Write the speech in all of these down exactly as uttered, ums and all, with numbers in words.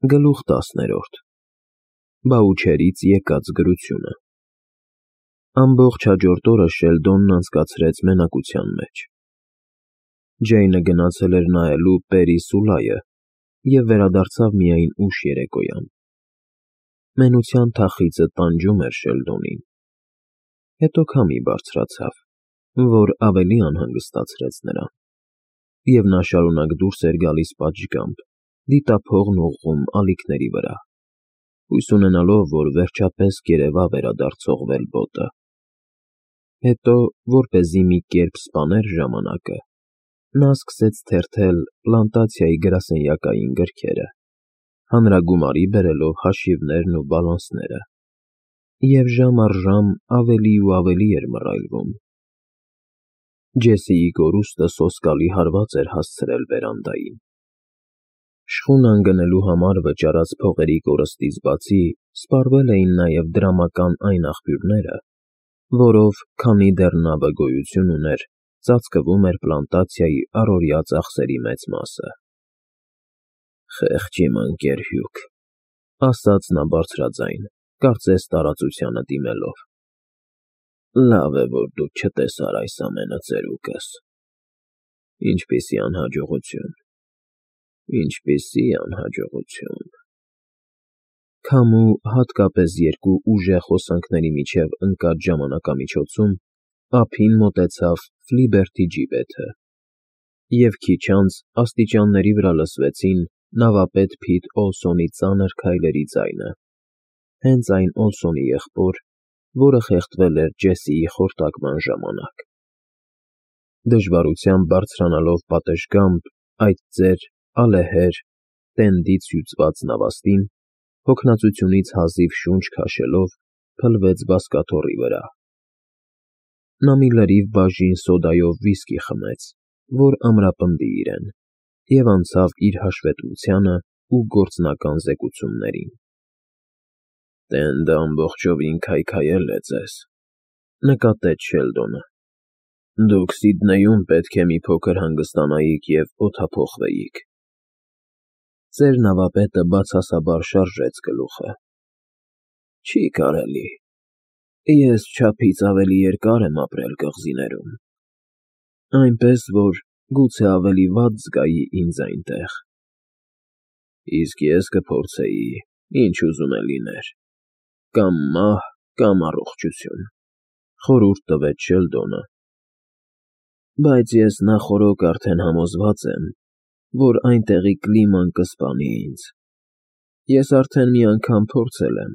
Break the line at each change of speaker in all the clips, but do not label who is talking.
Գլուխ տասներորդ Բաուչերից եկած գրությունը Ամբողջ հաջորդ օրը Շելդոնն անցկացրեց մենակության մեջ։ Ջեյնը գնացել էր նայելու Պերի Սուլայը և վերադարձավ միայն ուշ երեկոյան։ Մենության թախիծը տանջում էր Շելդոնին։ Հետո քամի բարձրացավ, որ ավելի անհանգստացրեց նրան, և նա շարունակ դուրս էր գալիս պատշգամբ, դիտափողն ուղղում ալիքների վրա, հույս ունենալով, որ վերջապես կերևա վերադարձող վելբոտը։ Հետո, որպեսզի մի կերպ սպաներ ժամանակը, նա սկսեց թերթել պլանտացիայի գրասենյակային գրքերը, հանրագումարի բերելով հաշիվներն ու բալանսները, և ժամ առ ժամ ավելի ու ավելի էր մռայլվում։ Ջեսիի կորուստը սոսկալի հարված էր հասցրել վերանդային։ Շխունան գնելու համար վճարած փողերի կորստից բացի սպառվել էին նաև դրամական այն աղբյուրները, որով, քանի դեռ նա վգոյություն ուներ, ծածկվում էր պլանտացիայի առօրյա ծախսերի մեծ մասը։ «Խեղճ իմ ընկեր Հյուկ», ասաց նա բարձրաձայն, կարծես տարածությանը դիմելով, «լավ է, որ դու չտեսար այս ամենը ծերուկս։ Ինչպիսի անհաջողություն, ինչպիսի անհաջողություն»։ Քամու, հատկապես երկու ուժեղ հոսանքների միջև ընկած ժամանակամիջոցում, ափին մոտեցավ Ֆլիբերթի ջիպեթը, և քիչ անց աստիճանների վրա լսվեցին նավապետ Փիտ Օլսոնի ծանր քայլերի ձայնը, հենց այն Օլսոնի եղբոր, որը խեղդվել էր Ջեսիի խորտակման ժամանակ։ Դժվարությամբ բարձրանալով պատշգամբ այդ ծեր, ալեհեր, տենդից հյուծված նավաստին, հոգնածությունից հազիվ շունչ քաշելով, փլվեց բազկաթոռի վրա։ Նա մի լրիվ բաժին սոդայով վիսկի խմեց, որ ամրապնդի իրեն, և անցավ իր հաշվետվությանն ու գործնական զեկուցումներին։ «Տենդը ամբողջովին քայքայել է ձեզ», նկատեց Շելդոնը։ «Դուք Սիդնեյում պետք է մի փոքր հանգստանայիք և օդափոխվեիք»։ Ծեր նավապետը բացասաբար շարժեց գլուխը։ «Չի կարելի։ Ես չափից ավելի երկար եմ ապրել կղզիներում, այնպես որ գուցե ավելի վատ զգայի ինձ այնտեղ։ Իսկ ես կփորձեի, ինչ ուզում է լիներ, կամ մահ, կամ առողջություն», խորհուրդ տվեց Շելդոնը։ «Բայց ես նախօրոք արդեն համոզված եմ, որ այնտեղի կլիման կսպանի ինձ։ Ես արդեն մի անգամ փորձել եմ։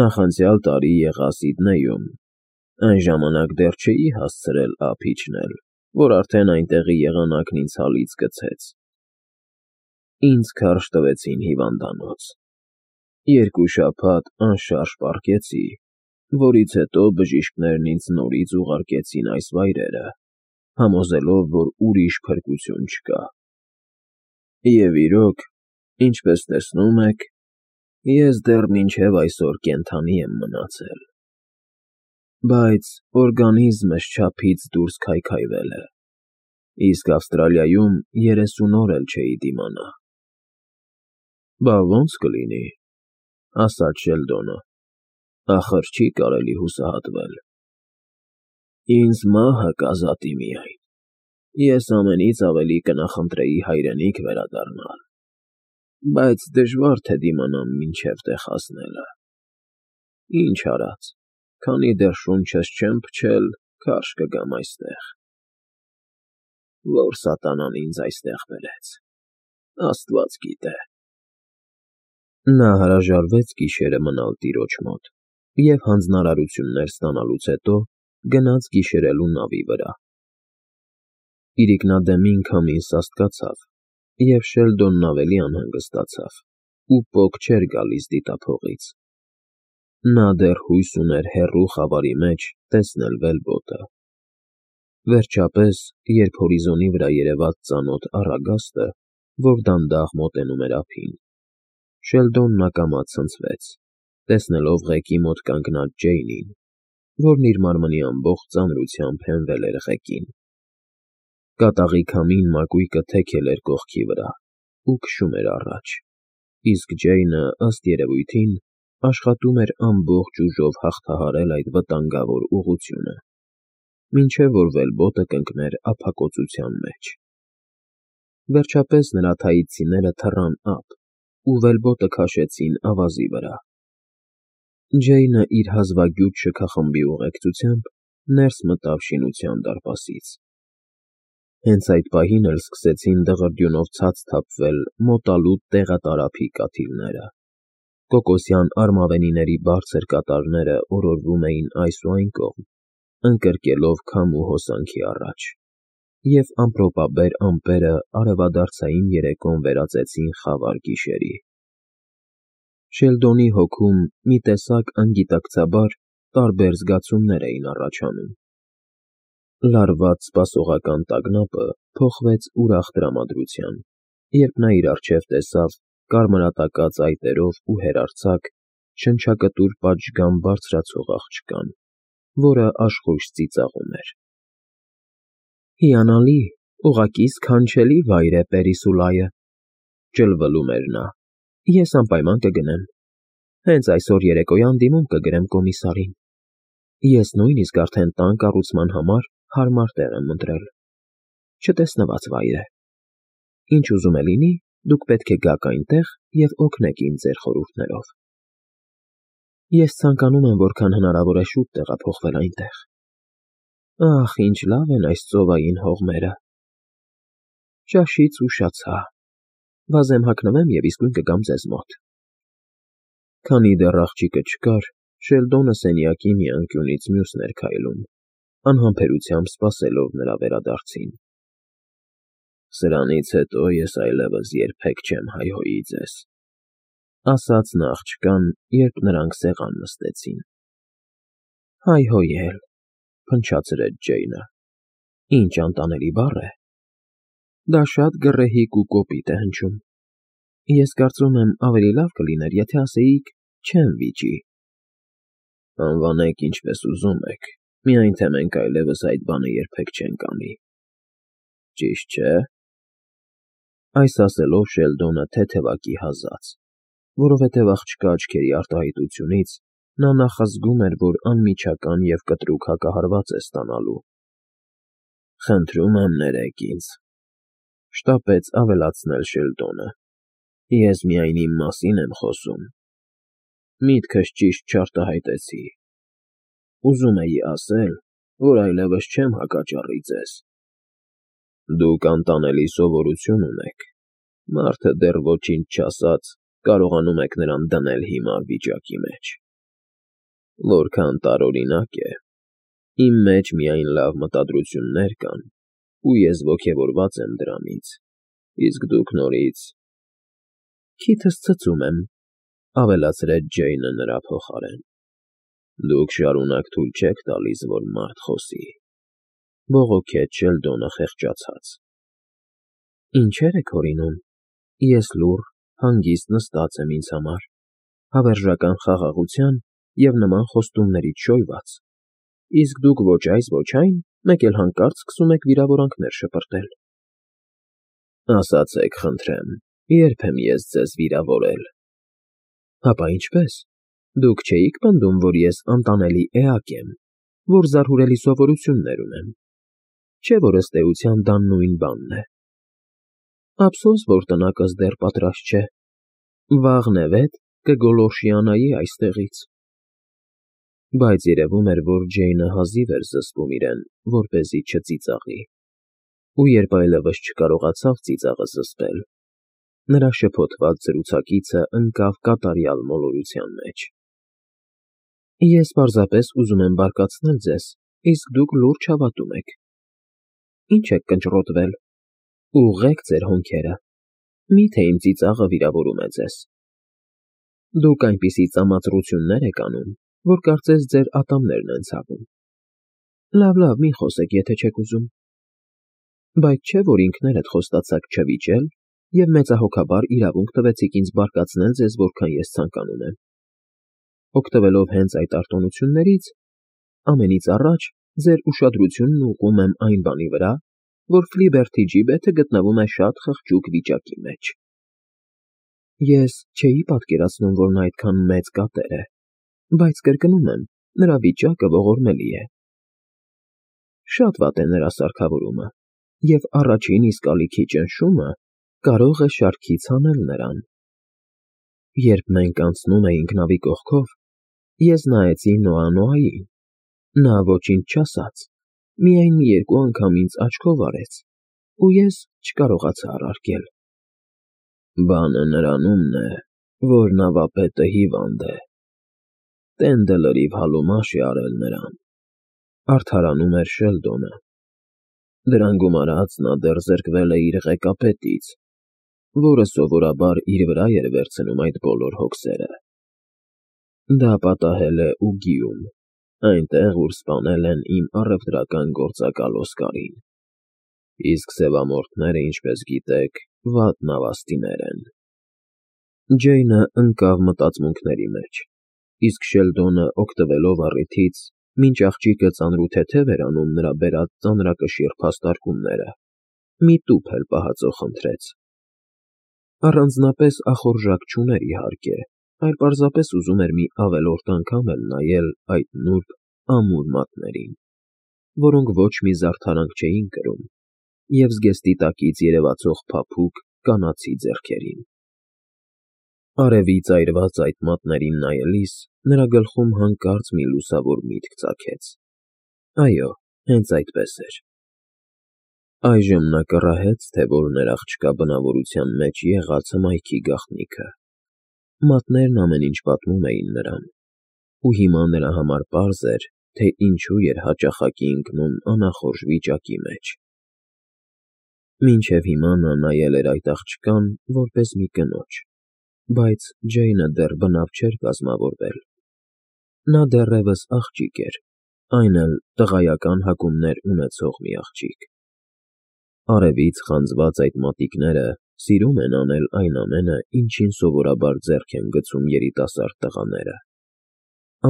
Նախանցյալ տարի եղա Սիդնեյում, այն ժամանակ դեռ չէի հասցրել ափ իջնել, որ արդեն այնտեղի եղանակն ինձ հալից գցեց։ Ինձ քարշ տվեցին հիվանդանոց։ Երկու շաբաթ անշարժ պառկեցի, որից հետո բժիշկներն ինձ նորից ուղարկեցին այս վայրերը, համոզելով, որ ուրիշ փրկություն չկա։ Եվ իրոք, ինչպես տեսնում եք, ես դեռ մինչև այսօր կենդանի եմ մնացել։ Բայց օրգանիզմս չափից դուրս քայքայվել է, իսկ Ավստրալիայում երեսուն օր էլ չէի դիմանա»։ «Բա ո՞նց կլինի», ասաց Շելդոնը, «ախր չի կարելի հուսահատվել»։ «Ինձ մահը կազատի միայն։ Ես ամենից ավելի կնախընտրեի հայրենիք վերադառնալ, բայց դժվար թե դիմանամ մինչև տեղ հասնելը։ Ինչ արած, քանի դեռ շունչս չեմ փչել, քարշ կգամ այստեղ։ Ո՞ր սատանան ինձ այստեղ բերեց, Աստված գիտե»։ Նա հրաժարվեց գիշերը մնալ տիրոջ մոտ և հանձնարարություններ ստանալուց հետո գնաց գիշերելու նավի վրա։ Իրիկնադեմին քամին սաստկացավ, և Շելդոնն ավելի անհանգստացավ ու պոկ չէր գալիս դիտափողից։ Նա դեռ հույս ուներ հեռու խավարի մեջ տեսնել վելբոտը։ Վերջապես, երբ հորիզոնի վրա երևաց ծանոթ առագաստը, որ դանդաղ մոտենում էր ափին, Շելդոնն ակամա ցնցվեց, տեսնելով ղեկի մոտ կանգնած Ջեյնին, որն իր մարմնի ամբողջ ծանրությամբ հենվել էր ղեկին։ Կատաղի քամին մակույկը թեքել էր կողքի վրա ու քշում էր առաջ, իսկ Ջեյնը, ըստ երևույթին, աշխատում էր ամբողջ ուժով հաղթահարել այդ վտանգավոր ուղղությունը, մինչև որ վելբոտը կընկներ ափակոծության մեջ։ Վերջապես նրա թայիցիները թռան ափ ու վելբոտը քաշեցին ավազի վրա։ Ջեյնը իր հազվագյուտ շքախմբի ուղեկցությամբ ներս մտավ շինության դարպասից։ Հենց այդ պահին էլ սկսեցին դղրդյունով ցած թափվել մոտալուտ տեղատարափի կաթիլները։ Կոկոսյան արմավենիների բարձր կատարները օրորվում էին այս ու այն կողմ, ընկրկելով քամու հոսանքի առաջ, և ամպրոպաբեր ամպերը արևադարձային երեկոն վերածեցին խավար գիշերի։ Շելդոնի հոգում մի տեսակ անգիտակցաբար տարբեր զգացումներ էին առաջանում։ Լարված սպասողական տագնապը փոխվեց ուրախ տրամադրության, երբ նա իր առջև տեսավ կարմրատակած այտերով ու հեռարձակ շնչակտուր պատշգամբ բարձրացող աղջկան, որը աշխույժ ծիծաղում էր։ «Հիանալի, ուղղակի սքանչելի վայր է Պերիսուլայը,» ճլվլում էր նա։ «Ես անպայման կգնեմ։ Հենց այսօր երեկոյան դիմում կգրեմ կոմիսարին։ Ես նույնիսկ արդեն տան կառուցման համար հարմար տեղ եմ ընտրել։ Չտեսնված վայր է։ Ինչ ուզում է լինի, դուք պետք է գաք այնտեղ և օգնեք ինձ ձեր խորհուրդներով։ Ես ցանկանում եմ որքան հնարավոր է շուտ տեղափոխվել այնտեղ։ Ախ, ինչ լավ են այս ծովային հողմերը։ Ճաշից ուշացա։ Վազեմ հագնվեմ և իսկույն կգամ ձեզ մոտ»։ Քանի դեռ աղջիկը չկար, Շելդոնը սենյակի մի անկյունից մյուսն էր քայլում, անհամբերությամբ սպասելով նրա վերադարձին։ «Սրանից հետո ես այլևս երբեք չեմ հայհոյի ձեզ», ասաց նա աղջկան, երբ նրանք սեղան նստեցին։ «Հայհոյել,» փնչացրեց Ջեյնը։ «Ինչ անտանելի բառ է։ Դա շատ գռեհիկ ու կոպիտ է հնչում։ Ես կարծում եմ, ավելի լավ կլիներ, եթե ասեիք չեմ վիճի»։ «Անվանեք ինչպես ուզում եք, միայն թե մենք այլևս այդ բանը երբեք չենք անի։ Ճիշտ չէ՞»։ Այս ասելով Շելդոնը թեթևակի հազաց, որովհետև աղջկա աչքերի արտահայտությունից նա նախազգում էր, որ անմիջական և կտրուկ հակահարված է ստանալու։ «Խնդրում եմ ներեք ինձ», շտապեց ավելացնել Շելդոնը։ «Ես միայն իմ մասին եմ խոսում։ Միտքս ճիշտ չարտահայտեցի։ Ուզում էի ասել, որ այլևս չեմ հակճառի ձեզ։ Դուք անտանելի սովորություն ունեք. մարդը դեռ ոչինչ չասած կարողանում եք նրան դնել հիմար վիճակի մեջ։ Որքան տարօրինակ է։ Իմ մեջ միայն լավ մտադրություններ կան, ու ես ոգևորված եմ դրանից, իսկ դուք նորից…» «Քիթս ցծում եմ,» ավելացրեց Ջեյնը նրա փոխարեն։ «Դուք շարունակ թույլ չեք տալիս, որ մարդ խոսի», բողոքեց Շելդոնը խեղճացած։ «Ինչեր եք հորինում։ Ես լուռ, հանգիստ նստած եմ ինձ համար, հավերժական խաղաղության և նման խոստումներից շոյված, իսկ դուք ոչ այս, ոչ այն, մեկ էլ հանկարծ սկսում եք վիրավորանքներ շպրտել»։ «Ասացեք, խնդրեմ, ե՞րբ եմ ես ձեզ վիրավորել»։ «Հապա ինչպես։ Դուք չէի՞ք պնդում, որ ես անտանելի էակ եմ, որ զարհուրելի սովորություններ ունեմ։ Չէ՞ որ ըստ էության դա նույն բանն է։ Ափսոս, որ տնակս դեռ պատրաստ չէ։ Վաղն-է֊վետ կգոլորշիանայի այստեղից»։ Բայց երևում էր, որ Ջեյնը հազիվ էր զսպում իրեն, որպեսզի չծիծաղի, ու երբ այլևս չկարողացավ ծիծաղը զսպել, նրա շփոթված զրուցակիցը ընկավ կատարյալ մոլորության մեջ։ «Ես պարզապես ուզում եմ բարկացնել ձեզ, իսկ դուք լուրջ հավատում եք։ Ինչ եք կնճռոտվել։ Ուղղեք ձեր հոնքերը։ Մի՞թե իմ ծիծաղը վիրավորում է ձեզ։ Դուք այնպիսի ծամածռություններ եք անում, որ կարծես ձեր ատամներն են ցավում։ Լավ, լավ, մի խոսեք, եթե չեք ուզում։ Բայց չէ՞ որ ինքներդ խոստացաք չվիճել և մեծահոգաբար իրավունք տվեցիք ինձ բարկացնել ձեզ որքան ես ցանկանում եմ։ Օգտվելով հենց այդ արտոնություններից, ամենից առաջ ձեր ուշադրությունն ուղղում եմ այն բանի վրա, որ Ֆլիբերթի ջիբեթը գտնվում է շատ խղճուկ վիճակի մեջ»։ Ես չէի պատկերացնում, որ նա այդքան մեծ կատեր է, բայց կրկնում եմ, նրա վիճակը ողորմելի է։ Շատ վատ է նրա սարքավորումը, և առաջին իսկ ալիքի ճնշումը կարող է շարքից հանել նրան։ Երբ մենք անցնում էինք նավի կողքով, ես նայեցի Նոա֊Նոային, նա ոչինչ չասաց, միայն մի երկու անգամ ինձ աչքով արեց, ու ես չկարողացա առարկել։ Բանը նրանումն է, որ նավապետը հիվանդ է, տենդը լրիվ հալումաշ է արել նրան, արդարանում էր Շելդոնը։ Դրան գումարած նա դեռ զրկվել է իր ղեկապետից, որը սովորաբար իր վրա էր վերցնում այդ բոլոր հոգսերը։ Դա պատահել է Ուգիում, այնտեղ, ուր սպանել են իմ առևտրական գործակալ Օսկարին, իսկ սևամորթները, ինչպես գիտեք, վատ նավաստիներ են։ Ջեյնը ընկավ մտածմունքների մեջ, իսկ Շելդոնը, օգտվելով առիթից, մինչ աղջիկը ծանրութեթև էր անում նրա բերած ծանրակշիռ փաստարկումները, մի տուփ էլ պահածո խնդրեց։ Առանձնապես ախորժակ չուներ, իհարկե, այլ պարզապես ուզում էր մի ավելորդ անգամ էլ նայել այդ նուրբ, ամուր մատներին, որոնք ոչ մի զարդարանք չէին կրում, և զգեստի տակից երևացող փափուկ, կանացի ձեռքերին։ Արևից այրված այդ մատներին նայելիս նրա գլխում հանկարծ մի լուսավոր միտք ծագեց. այո, հենց այդպես էր։ Այժմ նա կռահեց, թե որն էր աղջկա բնավորության մեջ եղած հմայքի գաղտնիքը։ Մատներն ամեն ինչ պատմում էին նրան, ու հիմա նրա համար պարզ էր, թե ինչու էր հաճախակի ընկնում անախորժ վիճակի մեջ։ Մինչև հիմա նա նայել էր այդ աղջկան որպես մի կնոջ, բայց Ջեյնը դեռ բնավ չէր կազմավորվել։ Նա դեռևս աղջիկ էր, այն էլ տղայական հակումներ ունեցող մի աղջիկ։ Արևից խանձված այդ մատիկները սիրում են անել այն ամենը, ինչին սովորաբար ձեռք են գցում երիտասարդ տղաները։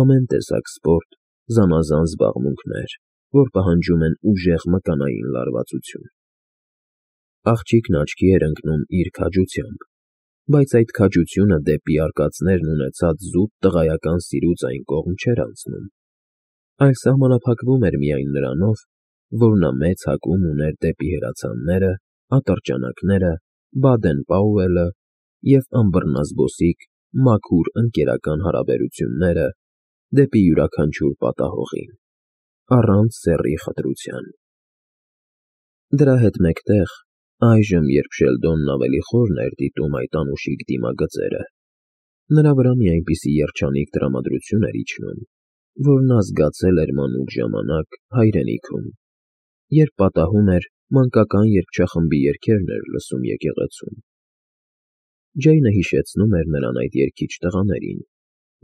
Ամեն տեսակ սպորտ, զանազան զբաղմունքներ, որ պահանջում են ուժեղ մկանային լարվածություն։ Աղջիկն աչքի էր ընկնում իր քաջությամբ, բայց այդ քաջությունը դեպի արկածներն ունեցած զուտ տղայական սիրուց այն կողմ չէր անցնում, այլ սահմանափակվում էր միայն նրանով, որ նա մեծ հակում ուներ դեպի հրացանները, ատրճանակները, Բադեն֊Պաուելը և անբռնազբոսիկ, մաքուր ընկերական հարաբերությունները դեպի յուրաքանչյուր պատահողին, առանց սեռի խտրության։ Դրա հետ մեկտեղ, այժմ, երբ Շելդոնն ավելի խորն էր դիտում այդ անուշիկ դիմագծերը, նրա վրա մի այնպիսի երջանիկ տրամադրություն էր իջնում, որ նա զգացել էր մանուկ ժամանակ հայրենիքում, երբ պատահում էր մանկական երգչախմբի երգերն էր լսում եկեղեցում։ Ջեյնը հիշեցնում էր նրան այդ երգիչ տղաներին,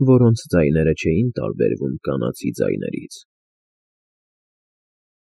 որոնց ձայները չէին տարբերվում կանացի ձայներից։